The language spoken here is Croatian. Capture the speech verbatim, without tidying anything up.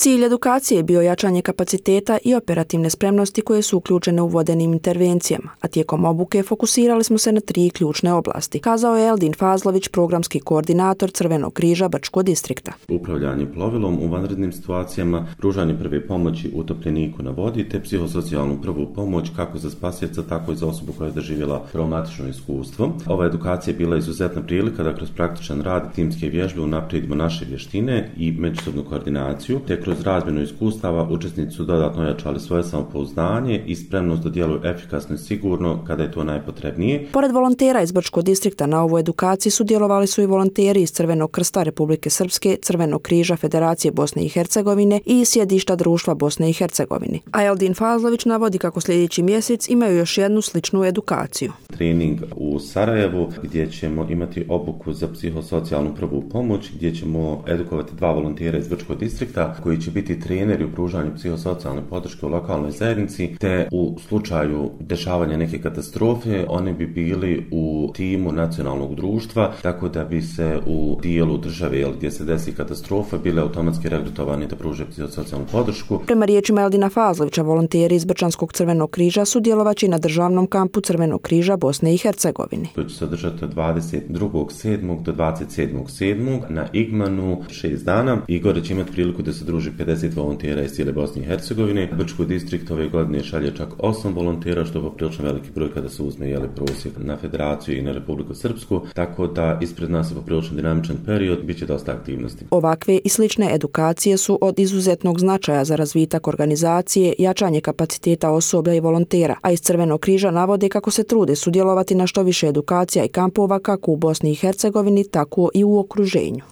Cilj edukacije je bio jačanje kapaciteta i operativne spremnosti koje su uključene u vodenim intervencijama, a tijekom obuke fokusirali smo se na tri ključne oblasti, kazao je Eldin Fazlović, programski koordinator Crvenog križa Brčko distrikta. Upravljanje plovilom u vanrednim situacijama, pružanje prve pomoći utopljeniku na vodi te psihosocijalnu prvu pomoć kako za spasioca, tako i za osobu koja je doživjela traumatično iskustvo. Ova edukacija je bila izuzetna prilika da kroz praktičan rad i timske vježbe unaprijedimo naše vještine i međusobnu koordinaciju, te kroz razmjenu iskustava učesnici su dodatno ojačali svoje samopouzdanje i spremnost da djeluju efikasno i sigurno kada je to najpotrebnije. Pored volontera iz Brčkog distrikta na ovu edukaciji sudjelovali su i volonteri iz Crvenog krsta Republike Srpske, Crvenog križa Federacije Bosne i Hercegovine i sjedišta Društva Bosne i Hercegovine. A Eldin Fazlović navodi kako sljedeći mjesec imaju još jednu sličnu edukaciju. Trening u Sarajevu gdje ćemo imati obuku za psihosocijalnu prvu pomoć, gdje ćemo edukovati dva volontera iz Brčkog distrikta koji će biti treneri u pružanju psihosocijalne podrške u lokalnoj zajednici, te u slučaju dešavanja neke katastrofe oni bi bili u timu nacionalnog društva, tako da bi se u dijelu države gdje se desi katastrofa bile automatski regrutovani da pruže psihosocijalnu podršku. Prema riječima Eldina Fazlovića, volonteri iz Brčanskog Crvenog križa sudjelovaće na državnom kampu Crvenog križa Bosne i Hercegovine. To će se održati od dvadeset drugog sedmog do dvadeset sedmog sedmog na Igmanu šest dana. Igor će imati priliku da se druži pedeset volontera iz cijele Bosne i Hercegovine. Brčki distrikt ove godine šalje čak osam volontera, što je poprilično veliki broj kada se uzme jeli prosjek na Federaciju i na Republiku Srpsku, tako da ispred nas je poprilično dinamičan period, bit će dosta aktivnosti. Ovakve i slične edukacije su od izuzetnog značaja za razvitak organizacije, jačanje kapaciteta osoblja i volontera, a iz Crvenog križa navode kako se trude sudjelovati na što više edukacija i kampova kako u Bosni i Hercegovini, tako i u okruženju.